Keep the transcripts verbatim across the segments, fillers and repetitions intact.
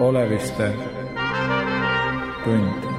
Oleviste tund.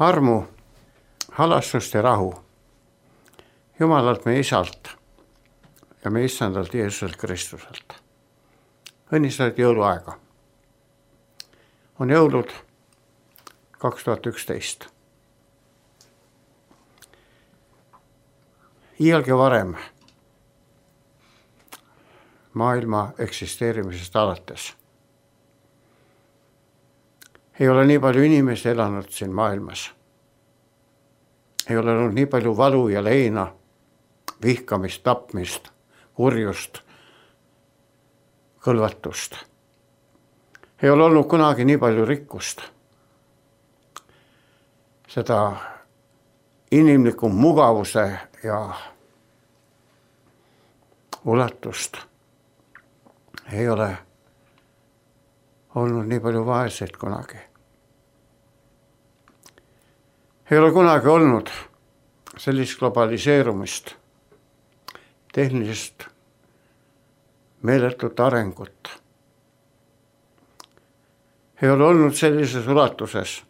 Armu, halastust ja rahu Jumalalt meie Isalt ja meie Issandalt Jeesuselt Kristuselt. Õnnistatud jõuluaega. On jõulud kaks tuhat üksteist. Iialgi varem maailma eksisteerimisest alates ei ole nii palju inimesi elanud siin maailmas. Ei ole olnud nii palju valu ja leina, vihkamist, tapmist, kurjust, kõlvatust. Ei ole olnud kunagi nii palju rikkust. Seda inimliku mugavuse ja ulatust ei ole olnud nii palju vaeseid kunagi. Ei ole kunagi olnud sellist globaliseerumist, tehnilist meeletut arengut. Ei ole olnud sellises ulatuses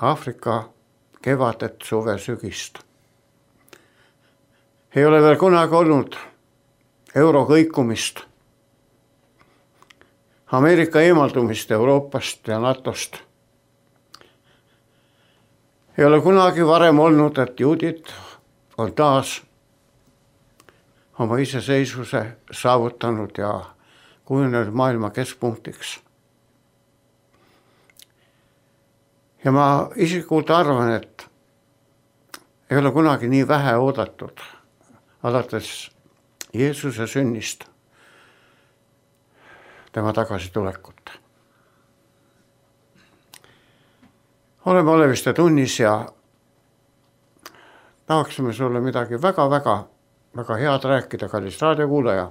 Aafrika kevadet, suve, sügist. Ei ole veel kunagi olnud euro kõikumist, Ameerika eemaldumist Euroopast ja NATOst. Ei ole kunagi varem olnud, et juudid on taas oma iseseisvuse saavutanud ja kujunenud maailma keskpunktiks. Ja ma isiklikult arvan, et ei ole kunagi nii vähe oodatud alates Jeesuse sünnist, tema tagasitulekut. Oleme Oleviste tunnis ja tahaksime sulle midagi väga-väga väga head rääkida, kallis raadiokuulaja.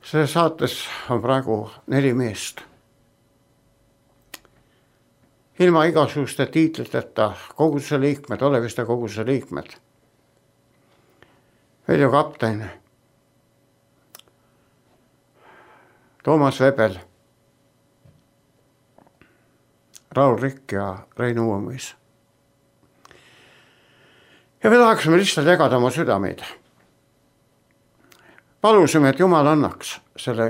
See saates on praegu neli meest. ilma igasuguste tiitliteta koguduse liikmed, Oleviste koguduse liikmed. Veljo kapten, Toomas Vebel, Raul Rikk ja Rein Uuemõis. Ja me tahaksime lihtsalt jagada oma südameid. Palusime, et Jumal annaks selle,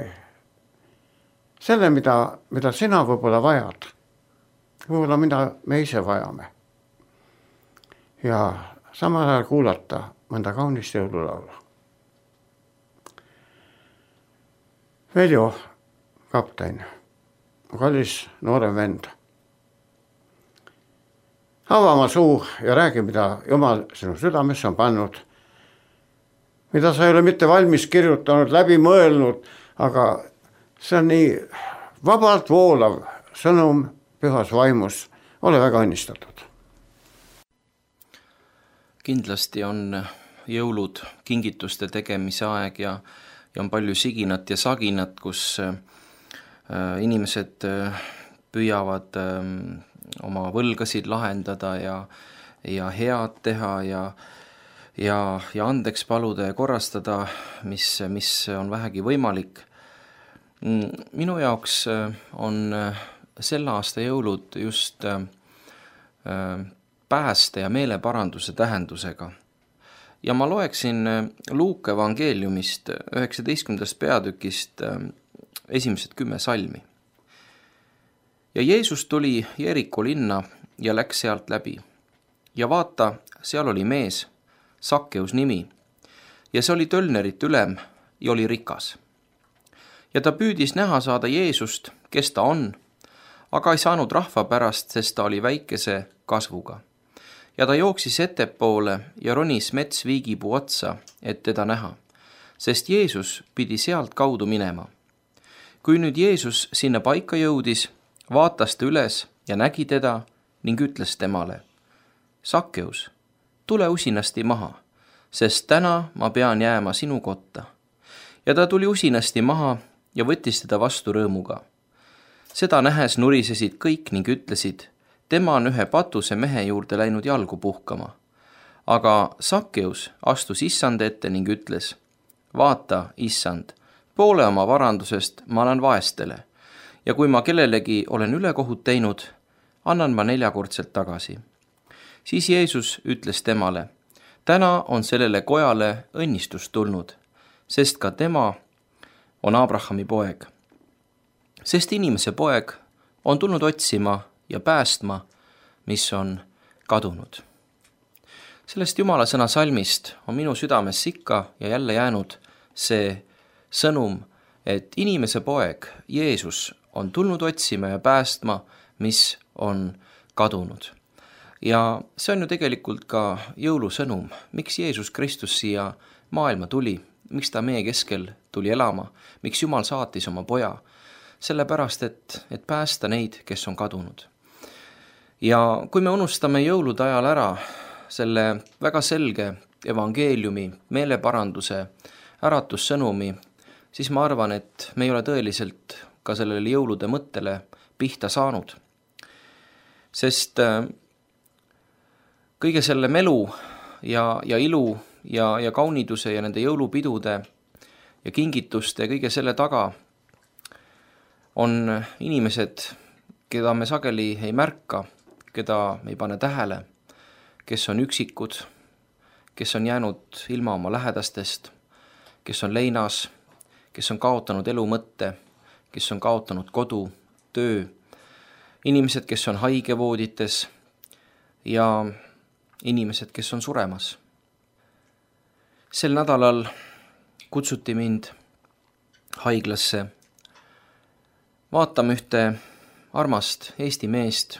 selle mida, mida sina võib-olla vajad. Võib-olla mida me ise vajame. Ja samal ajal kuulata mõnda kaunist jõululaulu. Veljo kapten, kallis noorem vend. Ava oma suu ja räägi, mida Jumal sinu südamesse on pannud, mida sa ei ole mitte valmis kirjutanud, läbi mõelnud, aga see on nii vabalt voolav sõnum pühas vaimus. Ole väga õnnistatud. Kindlasti on jõulud kingituste tegemise aeg ja, ja on palju siginat ja saginat, kus inimesed püüavad oma võlgasid lahendada ja, ja head teha ja, ja, ja andeks paluda ja korrastada, mis, mis on vähegi võimalik. Minu jaoks on selle aasta jõulud just pääste ja meeleparanduse tähendusega. Ja ma loeksin Luuka evangeeliumist üheksateistkümnendast peatükist esimesed kümme salmi. Ja Jeesus tuli Jeriko linna ja läks sealt läbi. Ja vaata, seal oli mees, Sakkeus nimi, ja see oli tölnerit ülem ja oli rikas. Ja ta püüdis näha saada Jeesust, kes ta on, aga ei saanud rahva pärast, sest ta oli väikese kasvuga. Ja ta jooksis ettepoole ja ronis metsviigipuu otsa, et teda näha, sest Jeesus pidi sealt kaudu minema. Kui nüüd Jeesus sinna paika jõudis, vaatas ta üles ja nägi teda ning ütles temale, Sakkeus, tule usinasti maha, sest täna ma pean jääma sinu kotta. Ja ta tuli usinasti maha ja võttis teda vastu rõõmuga. Seda nähes nurisesid kõik ning ütlesid, tema on ühe patuse mehe juurde läinud jalgu puhkama. Aga Sakkeus astus issand ette ning ütles, vaata, issand, poole oma varandusest ma annan vaestele. Ja kui ma kellelegi olen ülekohut teinud, annan ma neljakordselt tagasi. Siis Jeesus ütles temale, täna on sellele kojale õnnistus tulnud, sest ka tema on Abrahami poeg. Sest inimese poeg on tulnud otsima ja päästma, mis on kadunud. Sellest Jumala sõna salmist on minu südames ikka ja jälle jäänud see sõnum, et inimese poeg, Jeesus, on tulnud otsima ja päästma, mis on kadunud. Ja see on ju tegelikult ka jõulusõnum, miks Jeesus Kristus siia maailma tuli, miks ta meie keskel tuli elama, miks Jumal saatis oma poja, sellepärast, et, et päästa neid, kes on kadunud. Ja kui me unustame jõulude ajal ära selle väga selge evangeeliumi, meeleparanduse, äratussõnumi, siis ma arvan, et me ei ole tõeliselt ka sellele jõulude mõttele pihta saanud. Sest kõige selle melu ja, ja ilu ja, ja kauniduse ja nende jõulupidude ja kingituste ja kõige selle taga on inimesed, keda me sageli ei märka, keda me ei pane tähele, kes on üksikud, kes on jäänud ilma oma lähedastest, kes on leinas, kes on kaotanud elu mõtte, kes on kaotanud kodu, töö, inimesed, kes on haigevoodites ja inimesed, kes on suremas. Sel nädalal kutsuti mind haiglasse vaatama ühte armast Eesti meest,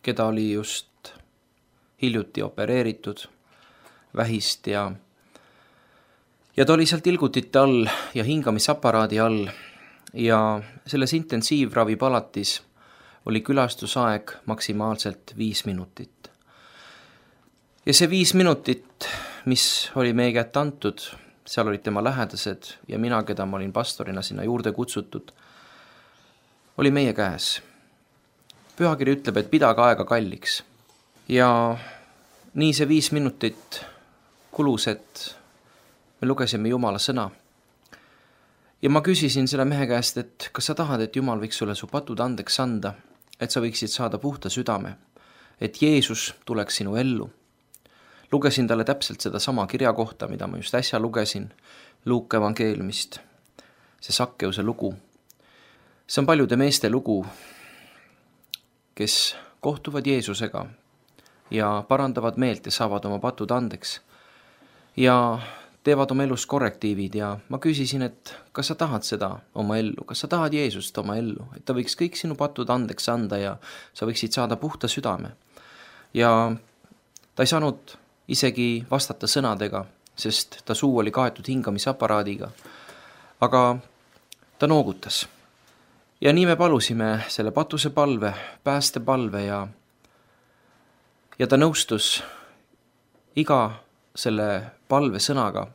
keda oli just hiljuti opereeritud vähist ja, ja ta oli seal tilgutite all ja hingamisaparaadi all. Ja selles intensiivravipalatis oli külastusaeg maksimaalselt viis minutit. Ja see viis minutit, mis oli meie kätte antud, seal olid tema lähedased ja mina, keda ma olin pastorina sinna juurde kutsutud, oli meie käes. pühakiri ütleb, et pidage aega kalliks. Ja nii see viis minutit kulus, et me lugesime Jumala sõna. Ja ma küsisin selle mehe käest, et kas sa tahad, et Jumal võiks sulle su patud andeks anda, et sa võiksid saada puhta südame, et Jeesus tuleks sinu ellu. Lugesin talle täpselt seda sama kirja kohta, mida ma just äsja lugesin, Luuke evangeeliumist, see Sakkeuse lugu. See on paljude meeste lugu, kes kohtuvad Jeesusega ja parandavad meelt ja saavad oma patud andeks ja teevad oma elus korrektiivid ja ma küsisin, et kas sa tahad seda oma ellu, kas sa tahad Jeesust oma ellu, et ta võiks kõik sinu patud andeks anda ja sa võiksid saada puhta südame. Ja ta ei saanud isegi vastata sõnadega, sest ta suu oli kaetud hingamisaparaadiga, aga ta noogutas. Ja nii me palusime selle patuse palve, pääste palve ja, ja ta nõustus iga selle palve sõnaga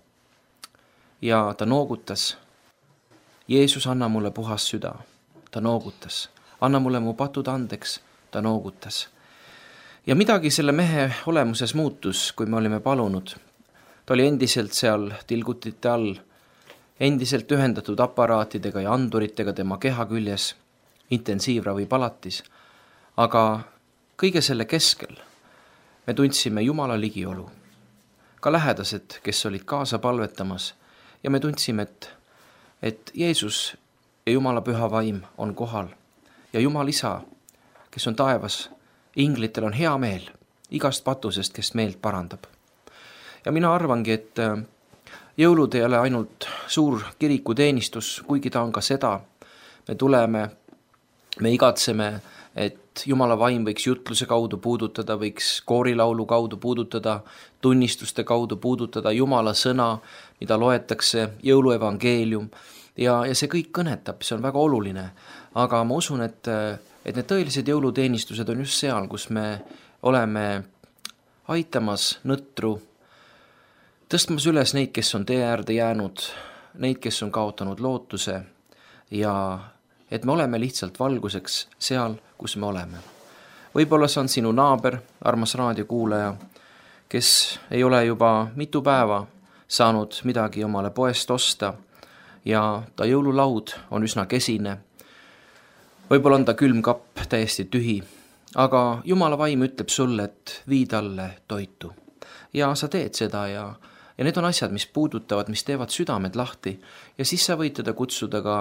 ja ta noogutas. Jeesus, anna mulle puhas süda. Ta noogutas. Anna mulle mu patud andeks. Ta noogutas. Ja midagi selle mehe olemuses muutus, kui me olime palunud. Ta oli endiselt seal tilgutite all, endiselt ühendatud aparaatidega ja anduritega tema keha küljes, intensiivravi palatis. Aga kõige selle keskel me tundsime Jumala ligiolu. Ka lähedased, kes olid kaasa palvetamas ja me tundsime, et, et Jeesus ja Jumala püha vaim on kohal ja Jumal isa, kes on taevas, inglitel on hea meel igast patusest, kes meelt parandab. Ja mina arvangi, et jõulud ei ole ainult suur kirikuteenistus, kuigi ta on ka seda. Me tuleme, me igatseme, et Jumala vaim võiks jutluse kaudu puudutada, võiks koorilaulu kaudu puudutada, tunnistuste kaudu puudutada Jumala sõna, mida loetakse, jõuluevangeelium. Ja, ja see kõik kõnetab, see on väga oluline. Aga ma usun, et, et need tõelised jõuluteenistused on just seal, kus me oleme aitamas nõtru, tõstmas üles neid, kes on tee äärde jäänud, neid, kes on kaotanud lootuse ja et me oleme lihtsalt valguseks seal, kus me oleme. Võib-olla see on sinu naaber, armas raadiokuulaja, kes ei ole juba mitu päeva saanud midagi omale poest osta ja ta jõululaud on üsna kesine. Võib-olla on ta külmkapp täiesti tühi, aga Jumala vaim ütleb sulle, et vii talle toitu. Ja sa teed seda ja Ja need on asjad, mis puudutavad, mis teevad südamed lahti ja siis sa võid teda kutsuda ka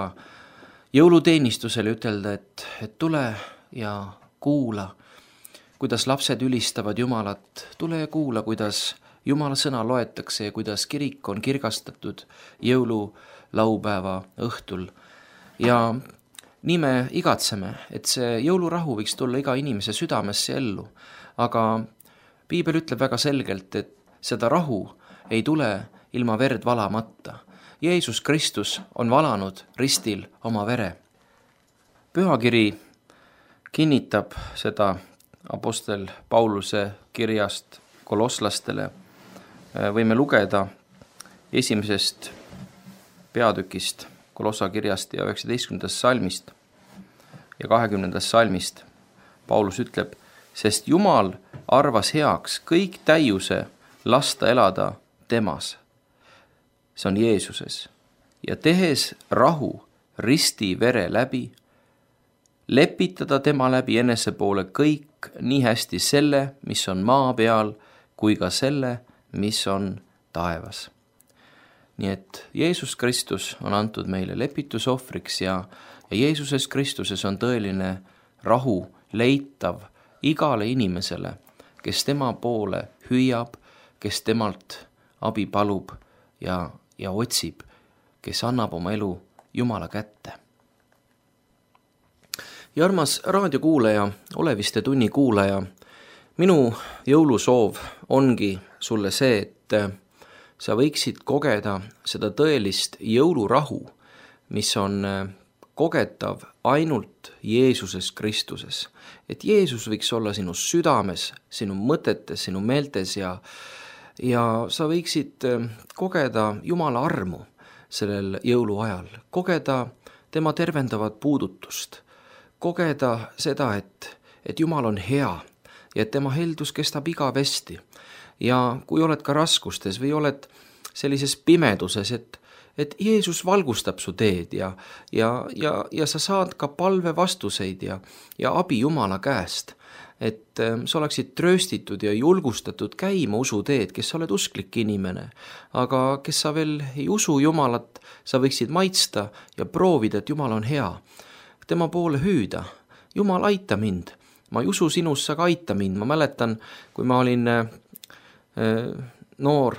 jõuluteenistusele ütelda, et, et tule ja kuula, kuidas lapsed ülistavad Jumalat, tule ja kuula, kuidas Jumala sõna loetakse ja kuidas kirik on kirgastatud jõululaupäeva õhtul. Ja nii me igatseme, et see jõulurahu võiks tulla iga inimese südamesse ellu, aga Piibel ütleb väga selgelt, et seda rahu ei tule ilma verd valamata. Jeesus Kristus on valanud ristil oma vere. Pühakiri kinnitab seda apostel Pauluse kirjast kolosslastele. Võime lugeda esimesest peatükist Kolossa kirjast ja üheksateistkümnendast salmist ja kahekümnendast salmist. Paulus ütleb, sest Jumal arvas heaks kõik täiuse lasta elada temas, see on Jeesuses, ja tehes rahu risti vere läbi, lepitada tema läbi enese poole kõik nii hästi selle, mis on maa peal, kui ka selle, mis on taevas. Nii et Jeesus Kristus on antud meile lepitusohvriks ja, ja Jeesuses Kristuses on tõeline rahu leitav igale inimesele, kes tema poole hüüab, kes temalt abi palub ja, ja otsib, kes annab oma elu Jumala kätte. Ja armas raadiokuulaja, Oleviste tunni kuulaja, minu jõulusoov ongi sulle see, et sa võiksid kogeda seda tõelist jõulurahu, mis on kogetav ainult Jeesuses Kristuses. Et Jeesus võiks olla sinu südames, sinu mõtetes, sinu meeltes ja Ja sa võiksid kogeda Jumala armu sellel jõuluajal, kogeda tema tervendavat puudutust, kogeda seda, et, et Jumal on hea ja et tema heldus kestab igavesti. Ja kui oled ka raskustes või oled sellises pimeduses, et, et Jeesus valgustab su teed ja, ja, ja, ja sa saad ka palve vastuseid ja, ja abi Jumala käest, et sa oleksid trööstitud ja julgustatud käima usuteed, kes sa oled usklik inimene, aga kes sa veel ei usu Jumalat, sa võiksid maitsta ja proovida, et Jumal on hea. Tema poole hüüda, Jumal, aita mind, ma ei usu sinus, sa ka aita mind. Ma mäletan, kui ma olin äh, noor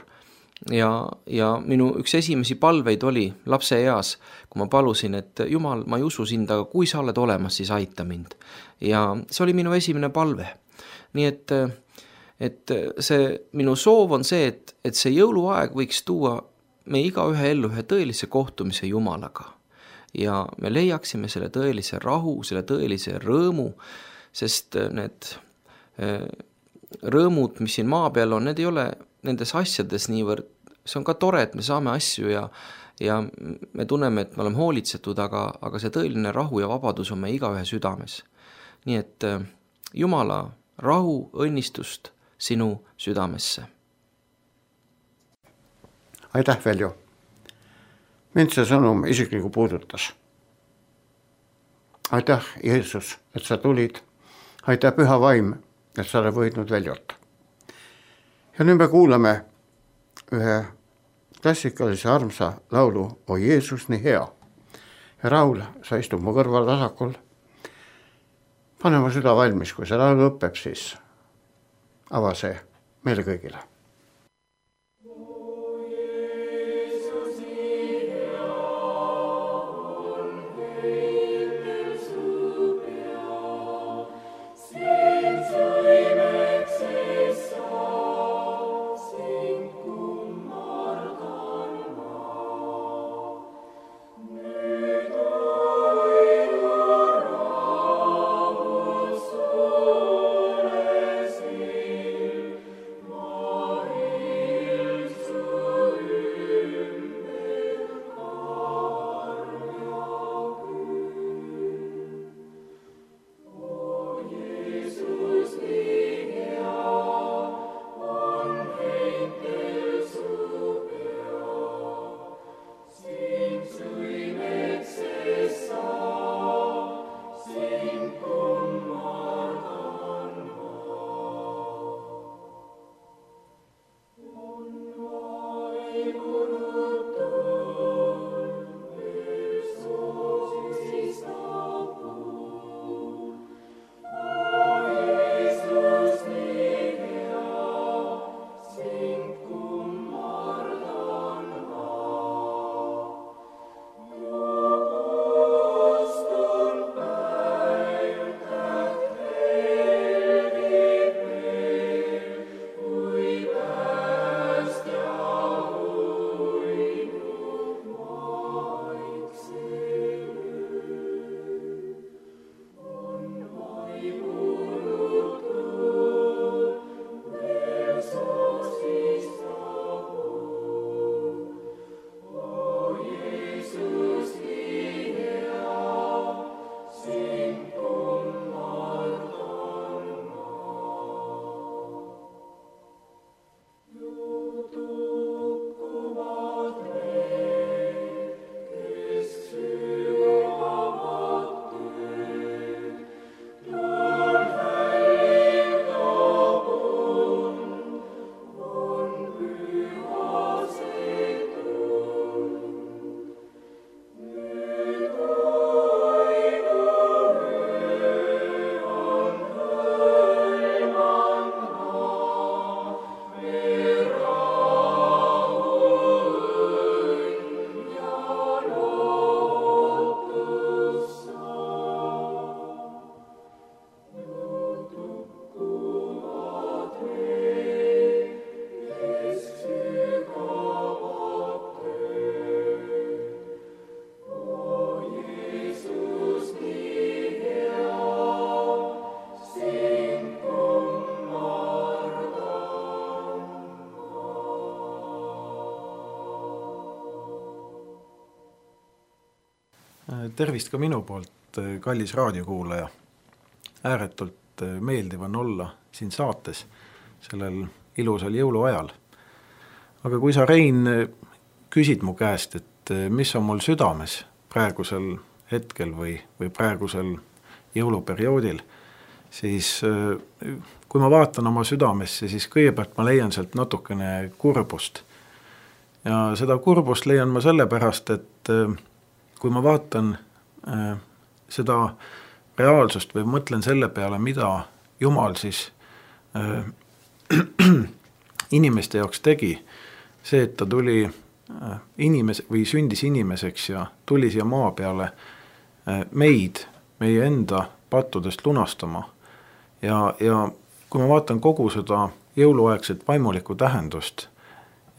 ja, ja minu üks esimesi palveid oli lapse eas, kui ma palusin, et Jumal, ma ei usu sind, aga kui sa oled olemas, siis aita mind. Ja see oli minu esimene palve. Nii et, et see, minu soov on see, et, et see jõuluaeg võiks tuua me igaühe ellu ühe tõelise kohtumise Jumalaga. Ja me leiaksime selle tõelise rahu, selle tõelise rõõmu, sest need rõõmud, mis siin maa peal on, need ei ole nendes asjades niivõrd, see on ka tore, et me saame asju ja, ja me tunneme, et me oleme hoolitsetud, aga, aga see tõeline rahu ja vabadus on me igaühe südames. Nii et Jumala rahu, õnnistust sinu südamesse. Aitäh, Veljo. Mind see sõnum isikliku puudutas. Aitäh, Jeesus, et sa tulid. Aitäh, Püha Vaim, et sa oled võidnud Veljot. Ja nüüd me kuulame ühe klassikalise armsa laulu O Jeesus, nii hea. Ja Raul, sa istud mu kõrval vasakul. Pane mu süda valmis, kui see laulu õppeb, siis ava see meile kõigile. Tervist ka minu poolt, kallis raadiokuulaja. Ääretult meeldiv on olla siin saates sellel ilusal jõuluajal. Aga kui sa, Rein, küsid mu käest, et mis on mul südames praegusel hetkel või, või praegusel jõuluperioodil, siis kui ma vaatan oma südamesse, siis kõigepealt ma leian sealt natukene kurbust. Ja seda kurbust leian ma sellepärast, et kui ma vaatan seda reaalsust või mõtlen selle peale, mida Jumal siis inimeste jaoks tegi, see, et ta tuli inimese või sündis inimeseks ja tuli siia maa peale meid, meie enda pattudest lunastama. Ja, ja kui ma vaatan kogu seda jõuluaegset vaimulikku tähendust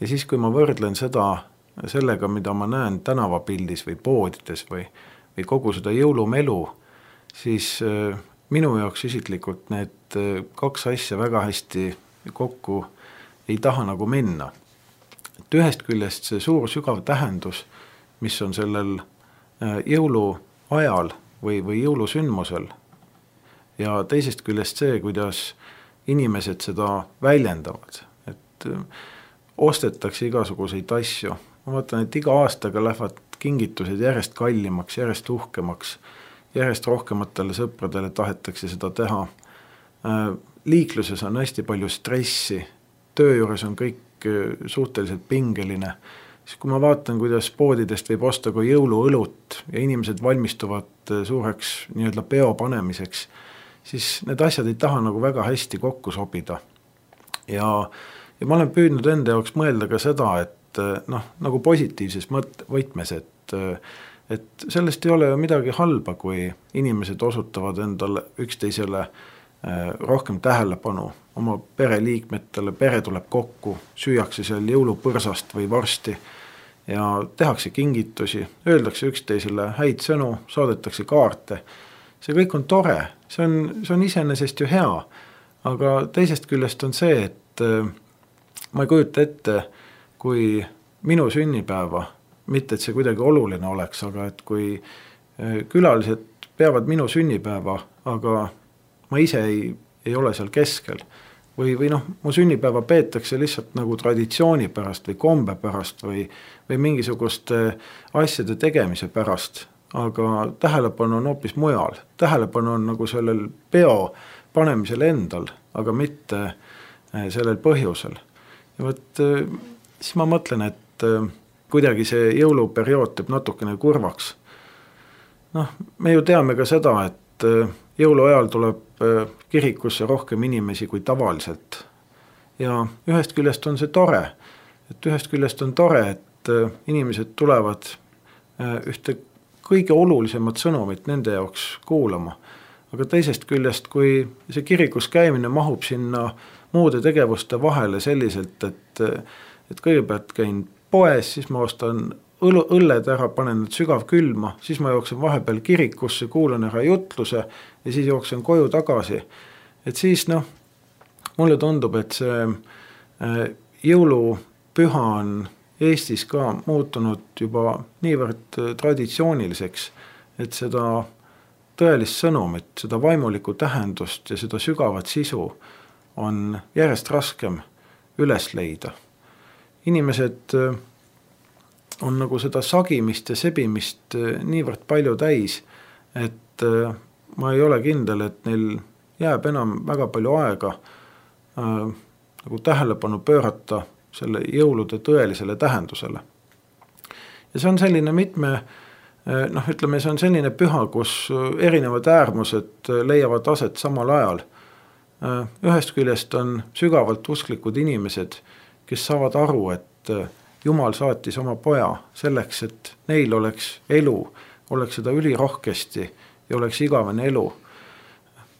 ja siis, kui ma võrdlen seda sellega, mida ma näen tänavapildis või poodides või, või kogu seda jõulumelu, siis minu jaoks isiklikult need kaks asja väga hästi kokku ei taha nagu minna. Et ühest küljest see suur sügav tähendus, mis on sellel jõuluajal või, või jõulusündmusel, ja teisest küljest see, kuidas inimesed seda väljendavad, et ostetakse igasuguseid asju. Ma vaatan, et iga aastaga lähevad kingitused järjest kallimaks, järjest uhkemaks, järjest rohkematele sõpradele tahetakse seda teha. Liikluses on hästi palju stressi, töö juures on kõik suhteliselt pingeline. Siis kui ma vaatan, kuidas poodidest võib osta kui jõuluõlut ja inimesed valmistuvad suureks nii-öelda peo panemiseks, siis need asjad ei taha nagu väga hästi kokku sobida. Ja, ja ma olen püüdnud enda jaoks mõelda ka seda, et noh, nagu positiivses mõt- võtmes, et, et sellest ei ole ju midagi halba, kui inimesed osutavad endale üksteisele rohkem tähelepanu oma pereliikmetele, pere tuleb kokku, süüakse seal jõulupõrsast või varsti ja tehakse kingitusi, öeldakse üksteisele häid sõnu, saadetakse kaarte. See kõik on tore, see on, see on iseenesest ju hea, aga teisest küljest on see, et ma ei kujuta ette, kui minu sünnipäeva, mitte et see kuidagi oluline oleks, aga et kui külalised peavad minu sünnipäeva, aga ma ise ei, ei ole seal keskel. Või, või noh, mu sünnipäeva peetakse lihtsalt nagu traditsiooni pärast või kombe pärast või, või mingisuguste asjade tegemise pärast, aga tähelepanu on hoopis mujal. Tähelepanu on nagu sellel peo panemisel endal, aga mitte sellel põhjusel. Ja võt, siis ma mõtlen, et kuidagi see jõuluperiood teeb natukene kurvaks. Noh, me ju teame ka seda, et jõuluajal tuleb kirikusse rohkem inimesi kui tavaliselt. Ja ühest küljest on see tore, et ühest küljest on tore, et inimesed tulevad ühte kõige olulisemat sõnumit nende jaoks kuulama. Aga teisest küljest, kui see kirikus käimine mahub sinna muude tegevuste vahele selliselt, et, et kõigepealt käin poes, siis ma ostan õlled ära, panen need sügav külma, siis ma jooksen vahepeal kirikusse, kuulan ära jutluse ja siis jooksen koju tagasi. Et siis noh, mulle tundub, et see jõulupüha on Eestis ka muutunud juba niivõrd traditsiooniliseks, et seda tõelist sõnumit, seda vaimulikku tähendust ja seda sügavat sisu on järjest raskem üles leida. Inimesed on nagu seda sagimist ja sebimist niivõrd palju täis, et ma ei ole kindel, et neil jääb enam väga palju aega äh, nagu tähelepanu pöörata selle jõulude tõelisele tähendusele. Ja see on selline mitme, noh ütleme, see on selline püha, kus erinevad äärmused leiavad aset samal ajal. Ühest küljest on sügavalt usklikud inimesed, kes saavad aru, et Jumal saatis oma poja selleks, et neil oleks elu, oleks seda ülirohkesti ja oleks igavene elu.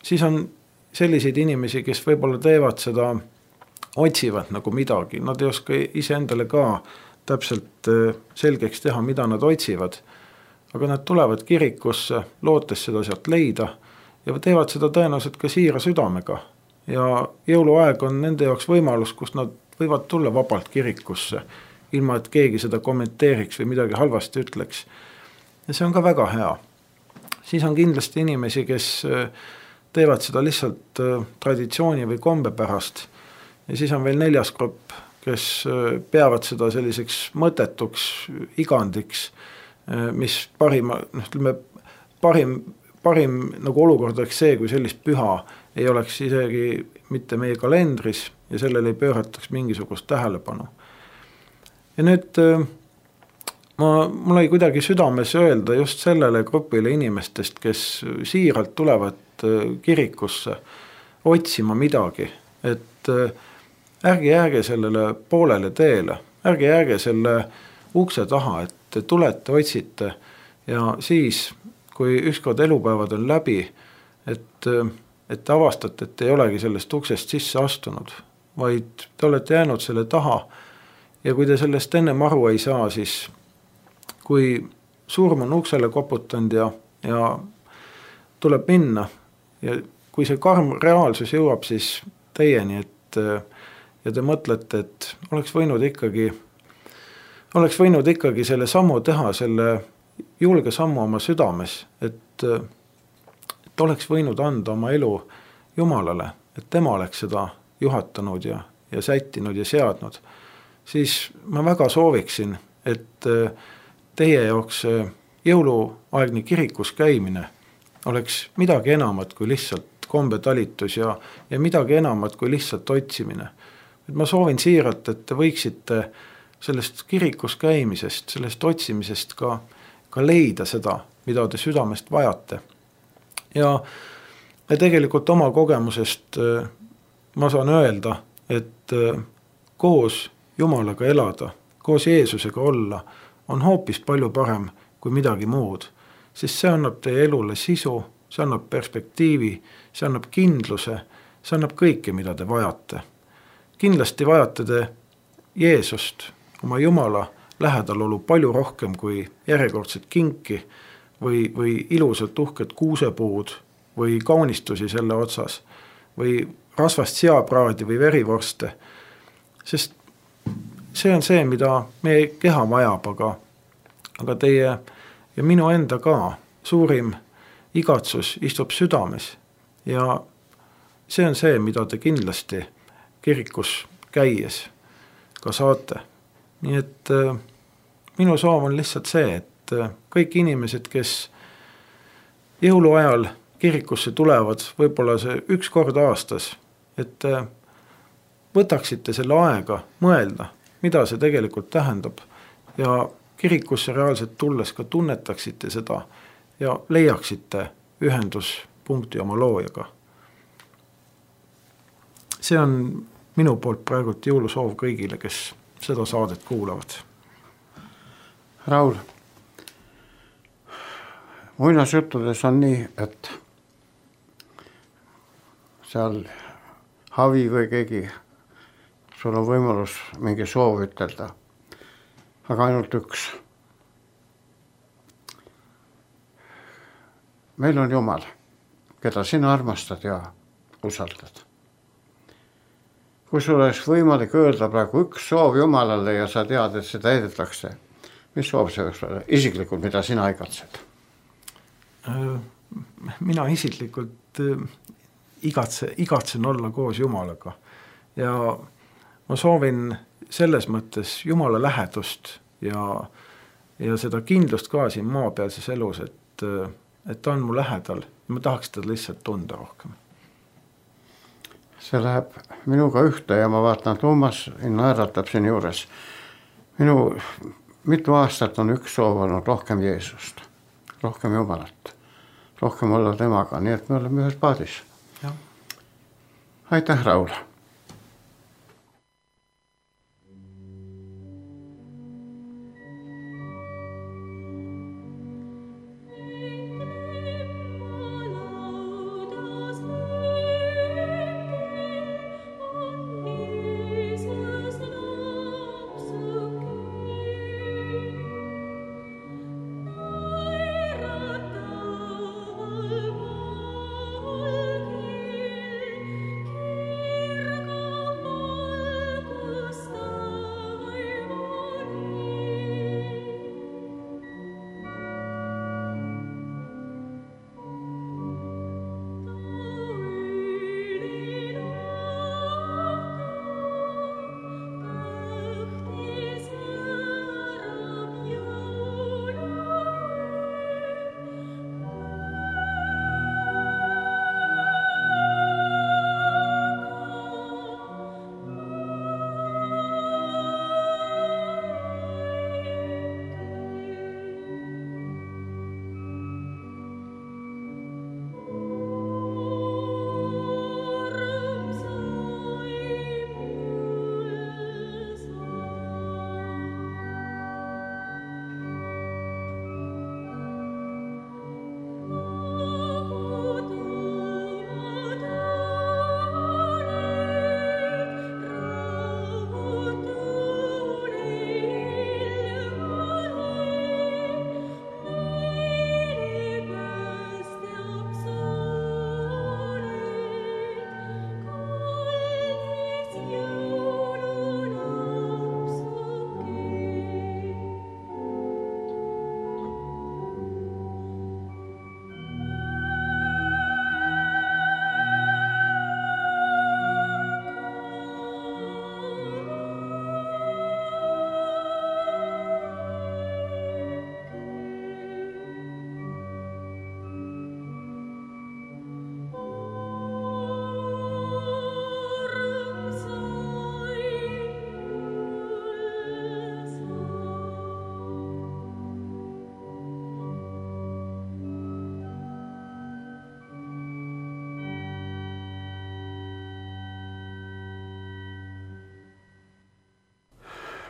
Siis on selliseid inimesi, kes võib-olla teevad seda, otsivad nagu midagi. Nad ei oska ise endale ka täpselt selgeks teha, mida nad otsivad. Aga nad tulevad kirikusse, lootes seda sealt leida ja teevad seda tõenäoliselt ka siira südamega. Ja jõuluaeg on nende jaoks võimalus, kus nad võivad tulla vabalt kirikusse, ilma et keegi seda kommenteeriks või midagi halvasti ütleks. Ja see on ka väga hea. Siis on kindlasti inimesi, kes teevad seda lihtsalt traditsiooni või kombe pärast. Ja siis on veel neljas grupp, kes peavad seda selliseks mõttetuks igandiks, mis parima, noh, ütleme, parim, parim nagu olukord oleks see, kui sellist püha ei oleks isegi mitte meie kalendris ja sellele ei pöörataks mingisugust tähelepanu. Ja nüüd ma, mul ei kuidagi südames öelda just sellele grupile inimestest, kes siiralt tulevad kirikusse otsima midagi, et ärge jääge sellele poolele teele, ärge jääge selle ukse taha, et te tulete, otsite ja siis, kui ükskord elupäevad on läbi, et, et te avastate, et ei olegi sellest uksest sisse astunud, vaid te olete jäänud selle taha ja kui te sellest ennem aru ei saa, siis kui surm on uksele koputanud ja, ja tuleb minna ja kui see karm reaalsus jõuab siis teieni, et ja te mõtlete, et oleks võinud ikkagi, oleks võinud ikkagi selle sammu teha, selle julge sammu oma südames, et, et oleks võinud anda oma elu Jumalale, et tema oleks seda juhatanud ja, ja sättinud ja seadnud, siis ma väga sooviksin, et teie jaoks jõuluaegne kirikus käimine oleks midagi enamat kui lihtsalt kombetalitus ja, ja midagi enamat kui lihtsalt otsimine. Et ma soovin siiralt, et te võiksite sellest kirikus käimisest, sellest otsimisest ka, ka leida seda, mida te südamest vajate. Ja, ja tegelikult oma kogemusest ma saan öelda, et koos Jumalaga elada, koos Jeesusega olla, on hoopis palju parem kui midagi muud, sest see annab teie elule sisu, see annab perspektiivi, see annab kindluse, see annab kõike, mida te vajate. Kindlasti vajate te Jeesust, oma Jumala lähedalolu palju rohkem kui järjekordset kinki või, või ilusat uhket kuusepuud või kaunistusi selle otsas või rasvast seapraadi või verivorste, sest see on see, mida meie keha vajab, aga, aga teie ja minu enda ka suurim igatsus istub südames ja see on see, mida te kindlasti kirikus käies ka saate. Nii et äh, minu soov on lihtsalt see, et äh, kõik inimesed, kes jõuluajal kirikusse tulevad, võib-olla see üks kord aastas, et äh, võtaksite selle aega mõelda, mida see tegelikult tähendab ja kirikusse reaalselt tulles ka tunnetaksite seda ja leiaksite ühenduspunkti oma loojaga. See on minu poolt praegult jõulusoov kõigile, kes seda saadet kuulavad. Raul, muinasjuttudes on nii, et seal Havi või keegi, sul on võimalus mingi soov ütelda, aga ainult üks. Meil on Jumal, keda sina armastad ja usaldad. Kui sul oleks võimalik öelda praegu üks soov Jumalale ja sa tead, et seda edetakse, mis soov see võiks olla? Isiklikult, mida sina igatsed? Mina isiklikult igatse, igatsen olla koos Jumalaga ja ma soovin selles mõttes Jumala lähedust ja, ja seda kindlust ka siin maapealses elus, et, et ta on mu lähedal ja ma tahaks teda lihtsalt tunda rohkem. See läheb minuga ühte ja ma vaatan, Toomas naeratab siin juures. Minu mitu aastat on üks soov olnud rohkem Jeesust, rohkem Jumalat, rohkem olla temaga, nii et me oleme ühes paadis. Ja. Aitäh, Raul! Here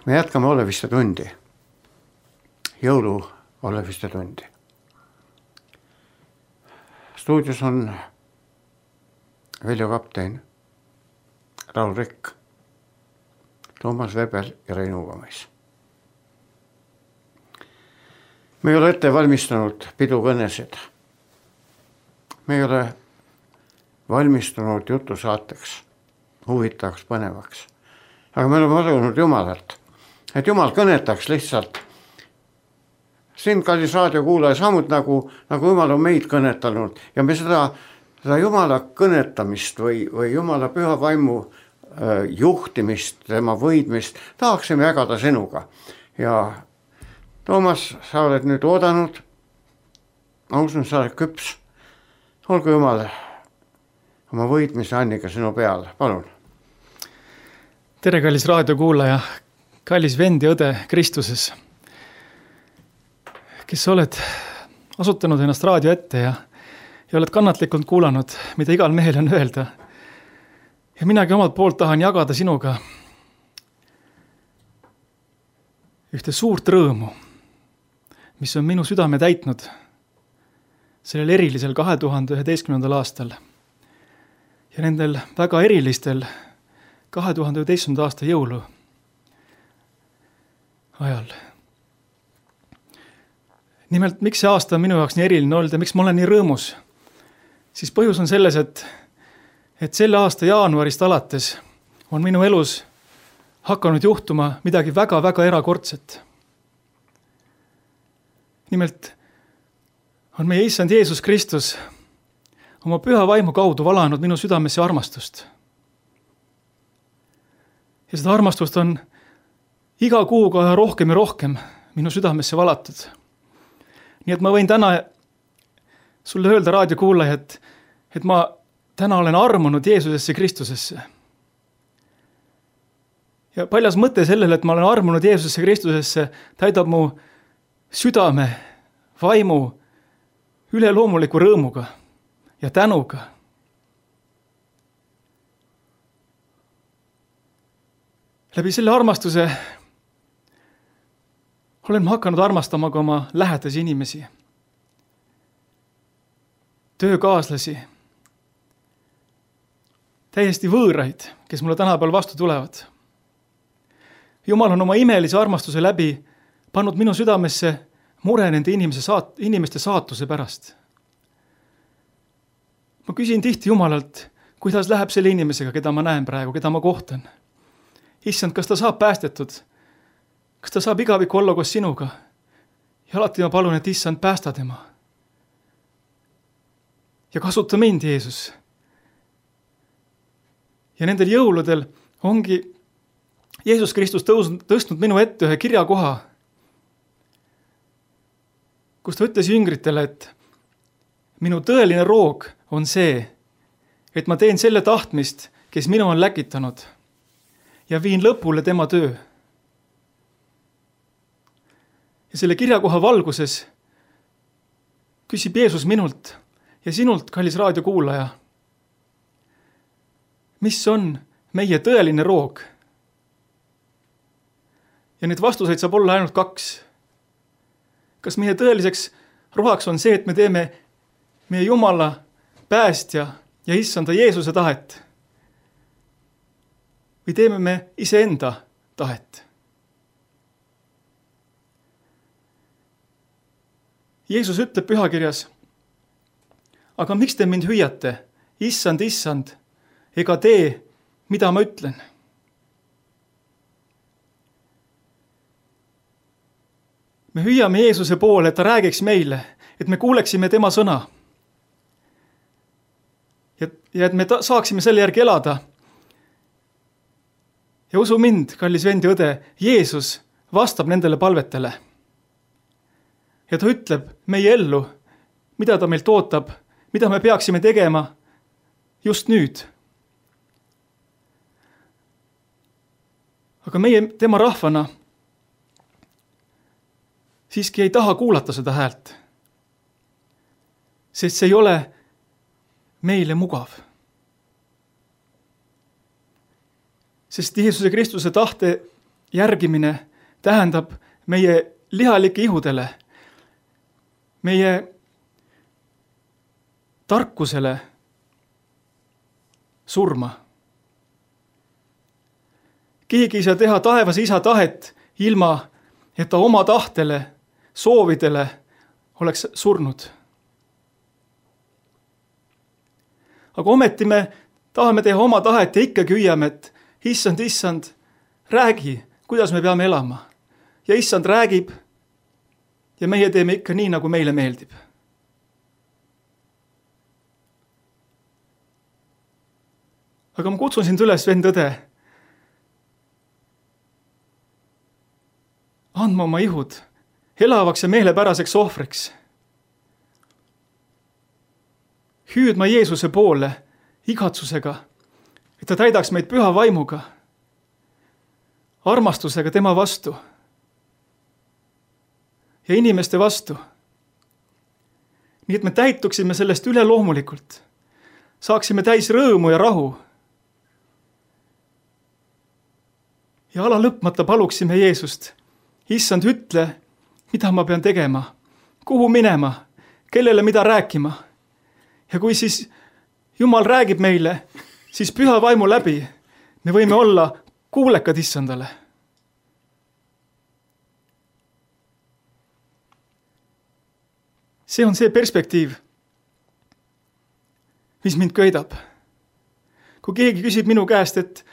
me jätkame Oleviste tundi, jõulu Oleviste tundi. Stuudios on Veljo Kaptein, Raul Rikk, Toomas Vebel ja Rein Uvamees. Me ei ole ette valmistanud pidukõnesid. Me ei ole valmistunud jutusaateks, huvitavaks, põnevaks. Aga me oleme palunud Jumalalt, et Jumal kõnetaks lihtsalt sind, kallis raadiokuulaja, samuti nagu, nagu Jumal on meid kõnetanud. Ja me seda, seda Jumala kõnetamist või, või Jumala püha vaimu äh, juhtimist, tema võidmist tahaksime jagada sinuga. Ja Toomas, sa oled nüüd oodanud, ma usun, sa oled küps. Olgu Jumal oma võitmise Anniga sinu peal, palun. Tere, kallis raadiokuulaja, kallis vend ja õde Kristuses, kes oled asutanud ennast raadio ette ja, ja oled kannatlikult kuulanud, mida igal mehel on öelda. Ja minagi omalt poolt tahan jagada sinuga ühte suurt rõõmu, mis on minu südame täitnud sellel erilisel kahe tuhande üheteistkümnendal aastal ja nendel väga erilistel kahe tuhande üheteistkümnenda aasta jõulu ajal. Nimelt, miks see aasta on minu jaoks nii eriline olnud ja miks ma olen nii rõõmus, siis põhjus on selles, et, et selle aasta jaanuarist alates on minu elus hakanud juhtuma midagi väga-väga erakordset. Nimelt on meie issand Jeesus Kristus oma püha vaimu kaudu valanud minu südamesse armastust. Ja seda armastust on iga kuuga rohkem ja rohkem minu südamesse valatud. Nii et ma võin täna sulle öelda, raadiokuulaja, et, et ma täna olen armunud Jeesusesse Kristusesse. Ja paljas mõte sellele, et ma olen armunud Jeesusesse Kristusesse, täidab mu südame, vaimu üleloomuliku rõõmuga ja tänuga. Läbi selle armastuse olen ma hakanud armastama ka oma lähedasi inimesi, töökaaslasi, täiesti võõraid, kes mulle tänapäeval vastu tulevad. Jumal on oma imelise armastuse läbi pannud minu südamesse mure nende inimese saat, inimeste saatuse pärast. Ma küsin tihti Jumalalt, kuidas läheb selle inimesega, keda ma näen praegu, keda ma kohtan. Issand, kas ta saab päästetud? Kas ta saab igavikku olla koos sinuga? Ja alati ma palun, et issand, päästa tema. Ja kasuta mind, Jeesus. Ja nendel jõuludel ongi Jeesus Kristus tõusnud, tõstnud minu ette ühe kirjakoha, kus ta ütles jüngritele, et minu tõeline roog on see, et ma teen selle tahtmist, kes minu on läkitanud ja viin lõpule tema töö. Ja selle kirjakoha valguses küsib Jeesus minult ja sinult, kallis raadiokuulaja, mis on meie tõeline roog? Ja need vastuseid saab olla ainult kaks. Kas meie tõeliseks rohaks on see, et me teeme meie Jumala päästja ja issanda Jeesuse tahet? Või teeme me iseenda tahet? Jeesus ütleb pühakirjas, aga miks te mind hüüate? Issand, issand, ega tee, mida ma ütlen? Me hüüame Jeesuse poole, et ta räägiks meile, et me kuuleksime tema sõna. Ja, ja et me ta, saaksime selle järgi elada. Ja usu mind, kallis vend ja õde, Jeesus vastab nendele palvetele. Ja ta ütleb meie ellu, mida ta meilt ootab, mida me peaksime tegema just nüüd. Aga meie tema rahvana siiski ei taha kuulata seda häält, sest see ei ole meile mugav. Sest Jeesuse Kristuse tahte järgimine tähendab meie lihalike ihudele, meie tarkusele surma. Keegi ei saa teha taevase isa tahet ilma, et ta oma tahtele, soovidele oleks surnud. Aga ometi me tahame teha oma tahet ja ikkagi hüüame, et issand, issand, räägi, kuidas me peame elama. Ja issand räägib ja meie teeme ikka nii, nagu meile meeldib. Aga ma kutsun sind üles, vend õde, andma oma ihud elavaks ja meelepäraseks ohvriks. Hüüdma Jeesuse poole igatsusega, et ta täidaks meid püha vaimuga, armastusega tema vastu ja inimeste vastu. Nii et me täituksime sellest üleloomulikult, saaksime täis rõõmu ja rahu. Ja ala lõpmata paluksime Jeesust, issand, ütle, mida ma pean tegema, kuhu minema, kellele mida rääkima. Ja kui siis Jumal räägib meile, siis püha vaimu läbi me võime olla kuulekad issandale. See on see perspektiiv, mis mind köidab. Kui keegi küsib minu käest, et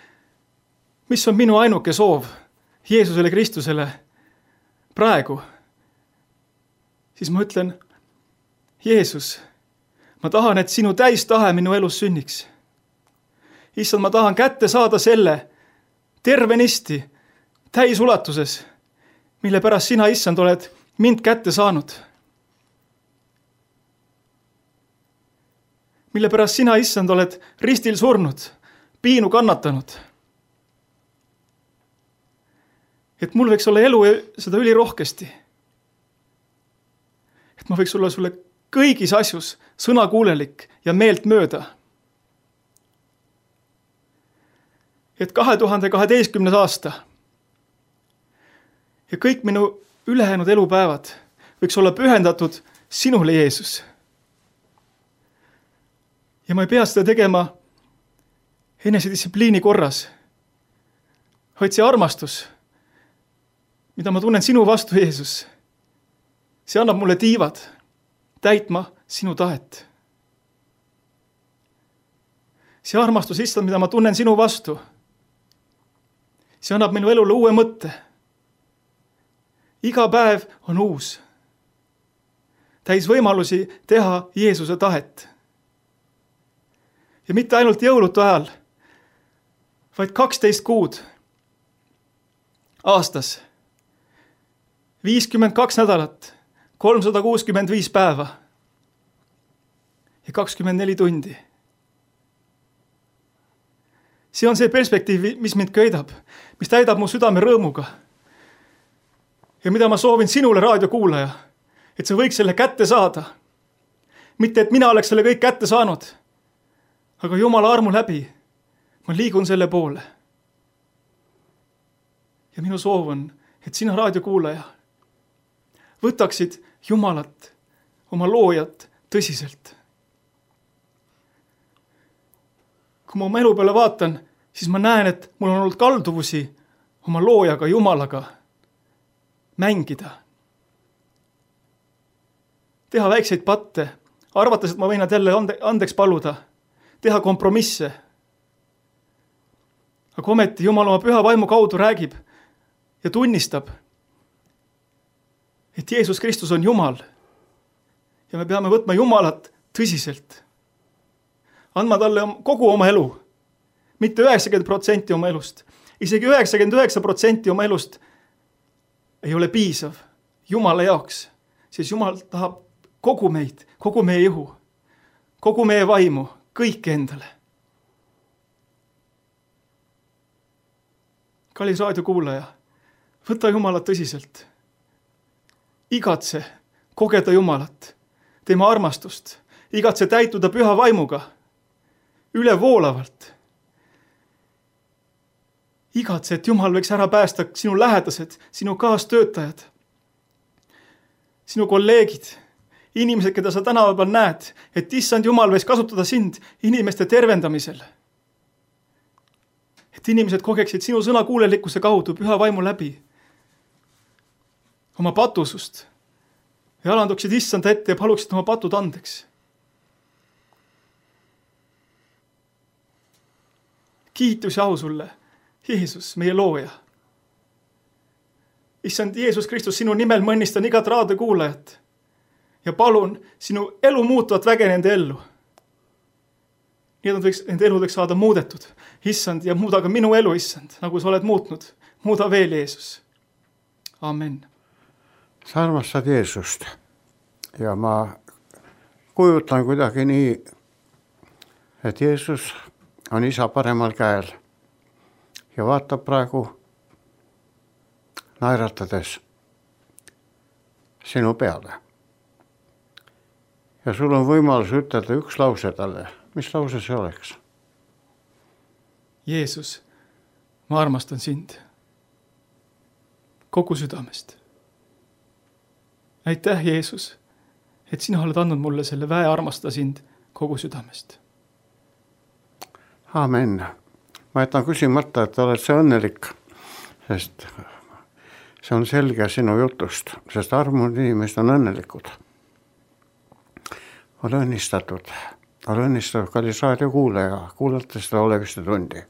mis on minu ainuke soov Jeesusele Kristusele praegu, siis ma ütlen, Jeesus, ma tahan, et sinu täistahe minu elus sünniks. Issand, ma tahan kätte saada selle tervenisti, täisulatuses, mille pärast sina, issand, oled mind kätte saanud. Mille pärast sina, issand, oled ristil surnud, piinu kannatanud. Et mul võiks olla elu seda ülirohkesti. Et ma võiks olla sulle kõigis asjus sõnakuulelik ja meelt mööda. Et kahe tuhande kaheteistkümnes aasta ja kõik minu ülejäänud elupäevad võiks olla pühendatud sinule, Jeesus. Ja ma ei pea seda tegema enesedistsipliini korras, vaid see armastus, mida ma tunnen sinu vastu, Jeesus, see annab mulle tiivad täitma sinu tahet. See armastus, issand, mida ma tunnen sinu vastu, see annab minu elule uue mõtte. Iga päev on uus. Täis võimalusi teha Jeesuse tahet. Ja mitte ainult jõulutu ajal, vaid kaksteist kuud aastas, viiskümmend kaks nädalat, kolmsada kuuskümmend viis päeva ja kakskümmend neli tundi. See on see perspektiiv, mis mind köidab, mis täidab mu südame rõõmuga. Ja mida ma soovin sinule, raadiokuulaja, et sa võiks selle kätte saada. Mitte, et mina oleks selle kõik kätte saanud, aga Jumala armu läbi ma liigun selle poole. Ja minu soov on, et sina, raadiokuulaja, võtaksid Jumalat, oma loojat tõsiselt. Kui ma oma elu peale vaatan, siis ma näen, et mul on olnud kalduvusi oma loojaga, Jumalaga mängida. Teha väikseid patte, arvates, et ma võin nad jälle andeks paluda, teha kompromisse. Aga ometi Jumal oma püha vaimu kaudu räägib ja tunnistab, et Jeesus Kristus on Jumal ja me peame võtma Jumalat tõsiselt. Andma talle kogu oma elu, mitte üheksakümmend protsenti oma elust. Isegi üheksakümmend üheksa protsenti oma elust ei ole piisav Jumala jaoks, siis Jumal tahab kogu meid, kogu meie ihu, kogu meie vaimu, kõik endale. Kallis raadiokuulaja, võta Jumalat tõsiselt. Igatse kogeda Jumalat, tema armastust, igatse täituda püha vaimuga, üle voolavalt. igatse, et Jumal võiks ära päästa sinu lähedased, sinu kaastöötajad, sinu kolleegid, inimesed, keda sa tänava peal näed, et issand Jumal võiks kasutada sind inimeste tervendamisel. Et inimesed kogeksid sinu sõna kuulelikkuse kaudu püha vaimu läbi oma patusust ja alanduksid issanda ette ja paluksid oma patud andeks. Kiitus ja au sulle, Jeesus, meie looja. Issand Jeesus Kristus, sinu nimel ma õnnistan igat raadiokuulajat ja palun sinu elu muutuvat väge nende ellu. Nii et nad võiks, nende elu võiks saada muudetud. Issand, ja muuda ka minu elu, issand, nagu sa oled muutnud. Muuda veel, Jeesus. Amen. Sa armastad Jeesust ja ma kujutan kuidagi nii, et Jeesus on isa paremal käel ja vaatab praegu naeratades sinu peale. Ja sul on võimalus ütelda üks lause talle. Mis lause see oleks? Jeesus, ma armastan sind kogu südamest. Aitäh, Jeesus, et sina oled andnud mulle selle väe armastada sind kogu südamest. Amen. Ma jätan küsimata, et oled see õnnelik, sest see on selge sinu jutust, sest armunud inimesed on õnnelikud. Ole õnnistatud. Ole õnnistatud, kallis raadiokuulaja, kuulate seda Oleviste tundi.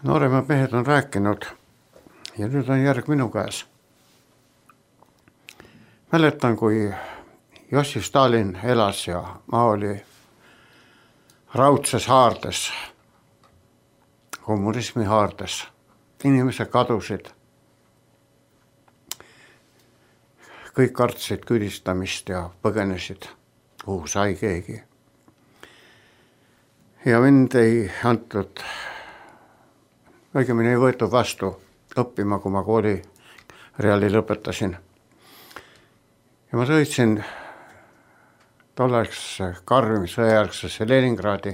Nooremad mehed on rääkinud ja nüüd on järg minu käes. Mäletan, kui Jossif Stalin elas ja maa oli raudses haardes, kommunismi haardes. Inimesed kadusid. Kõik kartsid küdistamist ja põgenesid, kuhu sai keegi. Ja mind ei antud, õigemini ei võetud vastu õppima, kui ma kooli reali lõpetasin. Ja ma sõitsin tolleks karmisõjärgsesse Leningradi.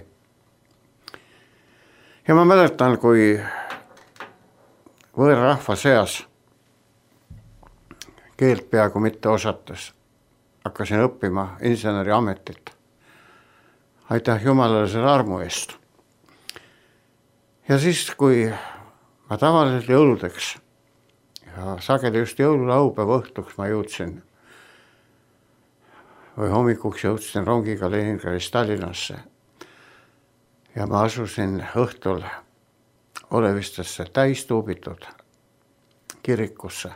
Ja ma mäletan, kui võõrrahva seas keelt peaaegu mitte osates hakkasin õppima inseneri ametit. Aitäh Jumalale selle armu eest. Ja siis, kui ma tavaliselt jõuludeks ja sageli just jõululaupäeva õhtuks ma jõudsin või hommikuks jõudsin rongiga Leningradist Tallinnasse ja ma asusin õhtul Olevistesse täistuubitud kirikusse.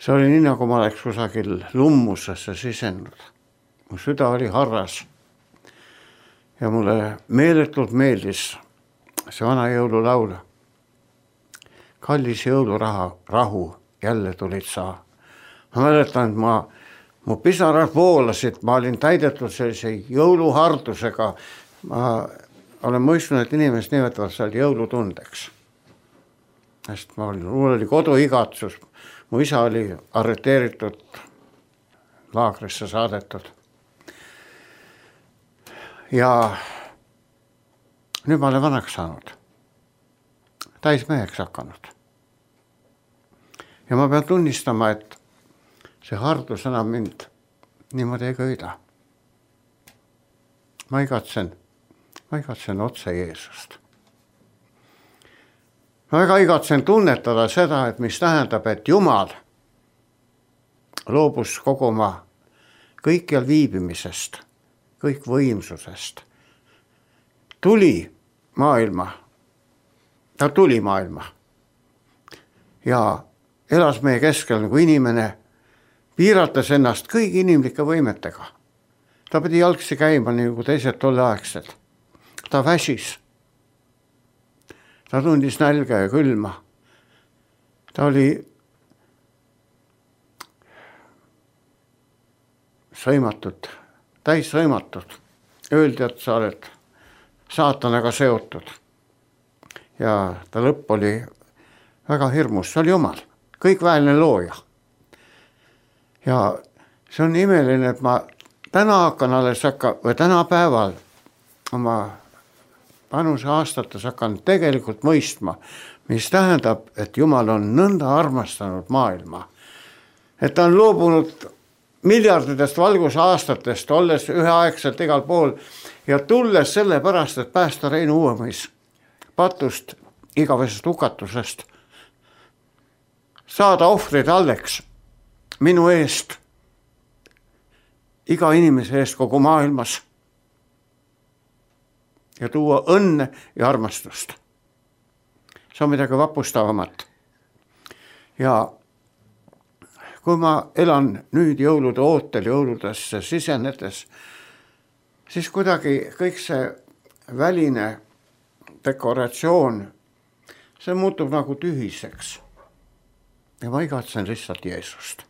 See oli nii, nagu ma oleks kusagil lummusesse sisenud. Mu süda oli harras ja mulle meeletult meeldis see vana jõululaul. Kallis jõuluraha, rahu, jälle tulid sa. Ma mäletan, et ma, mu pisarad voolasid, ma olin täidetud sellise jõuluhardusega. Ma olen mõistnud, et inimesed nimetavad seal jõulutundeks. Sest ma olin, mul oli koduigatsus. Mu isa oli arreteeritud, laagrisse saadetud. Ja nüüd ma olen vanaks saanud. Täismeheks hakanud. Ja ma pean tunnistama, et see hardus enam mind niimoodi ei köida. Ma igatsen, ma igatsen otse Jeesust. Ma väga igatsen tunnetada seda, et mis tähendab, et Jumal loobus kogu oma kõikjal viibimisest, kõik võimsusest. Tuli maailma, ta tuli maailma ja elas meie keskel nagu inimene, piirates ennast kõigi inimlike võimetega. Ta pidi jalgsi käima nagu teised tolleaegsed. Ta väsis. Ta tundis nälga ja külma. Ta oli sõimatud, täis sõimatud. Öeldi, et sa oled saatanaga seotud. Ja ta lõpp oli väga hirmus. See oli Jumal, kõikväeline looja. Ja see on imeline, et ma täna hakkan alles hakka, või täna päeval oma vanuse aastates hakkan tegelikult mõistma, mis tähendab, et Jumal on nõnda armastanud maailma. Et ta on loobunud miljarditest valgusaastatest, olles üheaegselt igal pool ja tulles selle pärast, et päästa Reinu Uuemõis patust, igavesest hukatusest, saada ohvrid alleks minu eest, iga inimese eest kogu maailmas ja tuua õnne ja armastust. See on midagi vapustavamat. Ja kui ma elan nüüd jõulude ootel jõuludesse sisenedes, siis kuidagi kõik see väline dekoratsioon, see muutub nagu tühiseks. Ja ma igatsen lihtsalt Jeesust.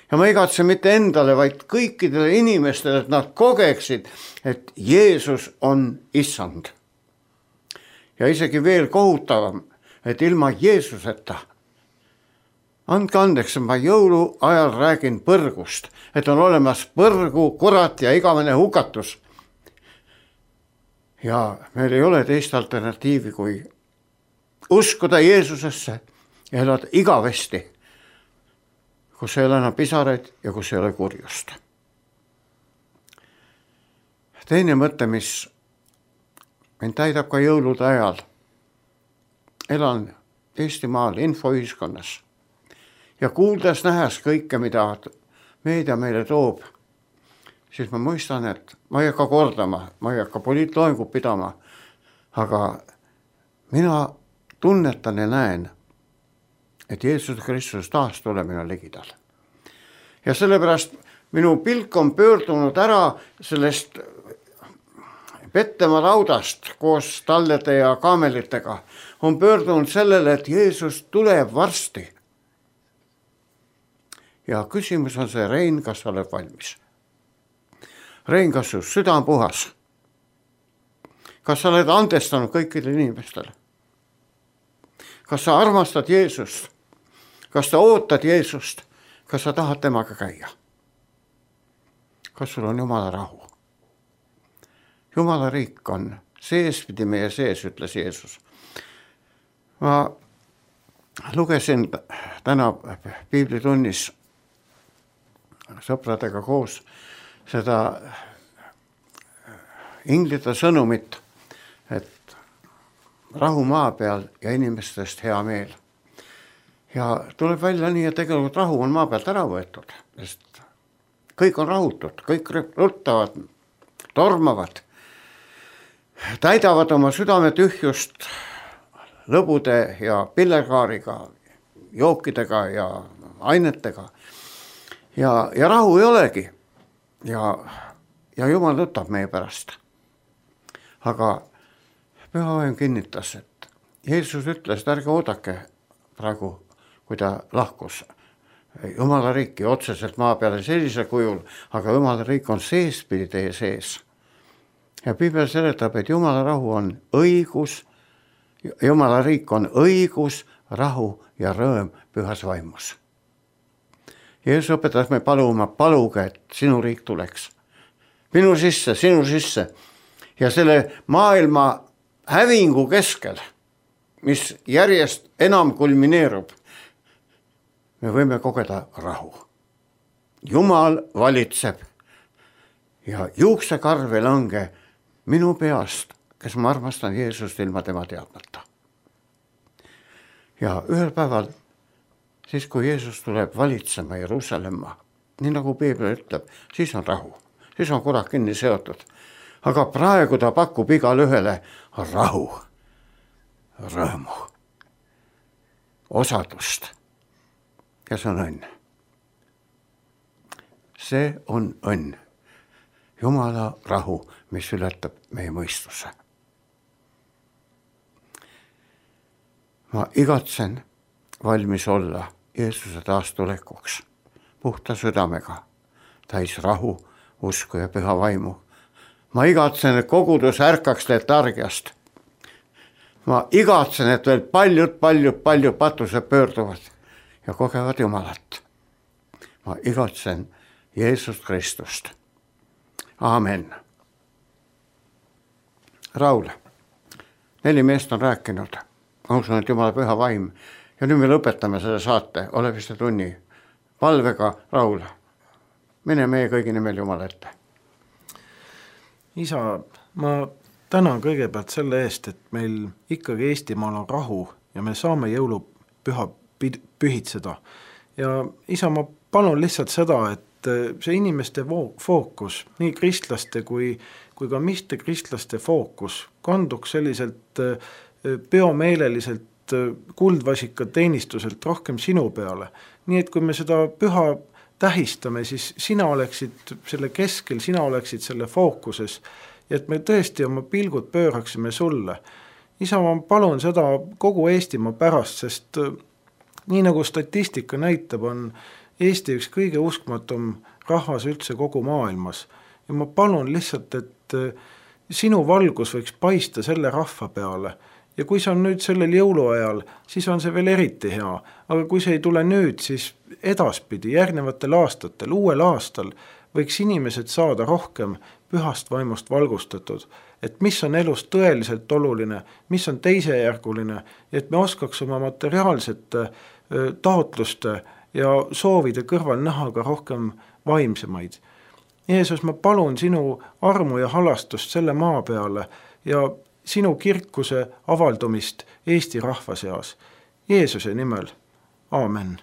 Ja ma igatsen mitte endale, vaid kõikidele inimestele, et nad kogeksid, et Jeesus on issand. Ja isegi veel kohutavam, et ilma Jeesuseta, andke andeks, ma jõulu ajal räägin põrgust, et on olemas põrgu, kurat ja igavene hukatus. Ja meil ei ole teist alternatiivi, kui uskuda Jeesusesse ja elada igavesti, kus ei ole enam pisaraid ja kus ei ole kurjust. Teine mõte, mis mind täidab ka jõulude ajal. Elan Eestimaal infoühiskonnas ja kuuldes nähes kõike, mida meedia meile toob, siis ma mõistan, et ma ei hakka kordama, ma ei hakka poliitloengut pidama, aga mina tunnetan ja näen, et Jeesus Kristus taas tulemine ligidal. Ja sellepärast minu pilk on pöördunud ära sellest Pettemaa raudast koos tallede ja kaamelitega, on pöördunud sellele, et Jeesus tuleb varsti. Ja küsimus on see, Rein, kas sa oled valmis? Rein, kas su süda on puhas? Kas sa oled andestanud kõikidele inimestele? Kas sa armastad Jeesust? Kas sa ootad Jeesust? Kas sa tahad temaga käia? Kas sul on Jumala rahu? Jumala riik on seespidi meie sees, ütles Jeesus. ma lugesin täna piiblitunnis sõpradega koos seda inglite sõnumit, et rahu maa peal ja inimestest hea meel. Ja tuleb välja nii, et tegelikult rahu on maa pealt ära võetud, sest kõik on rahutud, kõik ruttavad, tormavad, täidavad oma südame tühjust lõbude ja pillerkaariga, jookidega ja ainetega. Ja, ja rahu ei olegi. Ja, ja Jumal võtab meie pärast. Aga Püha Vaim kinnitas, et Jeesus ütles, et ärge oodake praegu, kui ta lahkus Jumala riiki otseselt maa peale sellisel kujul, aga Jumala riik on seespidi teie sees. Ja Piibel seletab, et Jumala rahu on õigus, Jumala riik on õigus, rahu ja rõõm pühas vaimus. Jeesus õpetas me paluma, paluge, et sinu riik tuleks. Minu sisse, sinu sisse. Ja selle maailma hävingu keskel, mis järjest enam kulmineerub, me võime kogeda rahu. Jumal valitseb ja juuksekarv ei lange minu peast, kes ma armastan Jeesust ilma tema teadmata. Ja ühel päeval, siis kui Jeesus tuleb valitsema Jeruusalemma, nii nagu Piibel ütleb, siis on rahu, siis on kurat kinni seotud. Aga praegu ta pakub igale ühele rahu, rõõmu, osadust. Ja see on õnn. See on õnn. Jumala rahu, mis ületab meie mõistuse. Ma igatsen valmis olla Jeesuse taastulekuks puhta südamega, täis rahu, usku ja püha vaimu. Ma igatsen, et kogudus ärkaks letargiast. Ma igatsen, et veel paljud, paljud, paljud patused pöörduvad ja kogevad Jumalat. Ma igatsen Jeesust Kristust. Aamen. Raul, neli meest on rääkinud. Ma usun, et Jumala püha vaim. Ja nüüd me lõpetame selle saate, ole vist tunni palvega. Raul, mine meie kõigi nimel Jumala ette. Isa, ma tänan kõigepealt selle eest, et meil ikkagi Eestimaal on rahu ja me saame jõulupüha pühitseda. Ja isa, ma palun lihtsalt seda, et see inimeste fookus, nii kristlaste kui, kui ka mitte kristlaste fookus kanduks selliselt peomeeleliselt kuldvasika teenistuselt rohkem sinu peale. Nii et kui me seda püha tähistame, siis sina oleksid selle keskel, sina oleksid selle fookuses ja et me tõesti oma pilgud pööraksime sulle. Isa, ma palun seda kogu Eestimaa pärast, sest nii nagu statistika näitab, on Eesti üks kõige uskmatum rahvas üldse kogu maailmas. Ja ma palun lihtsalt, et sinu valgus võiks paista selle rahva peale. Ja kui see on nüüd sellel jõuluajal, siis on see veel eriti hea. Aga kui see ei tule nüüd, siis edaspidi, järgnevatel aastatel, uuel aastal võiks inimesed saada rohkem pühast vaimust valgustatud. Et mis on elus tõeliselt oluline, mis on teisejärguline, et me oskaks oma materiaalsete taotluste ja soovide kõrval näha ka rohkem vaimsemaid. Jeesus, ma palun sinu armu ja halastust selle maa peale ja sinu kirkuse avaldumist Eesti rahva seas. Jeesuse nimel. Aamen.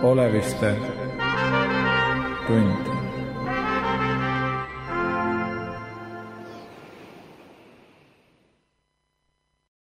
Oleviste tund.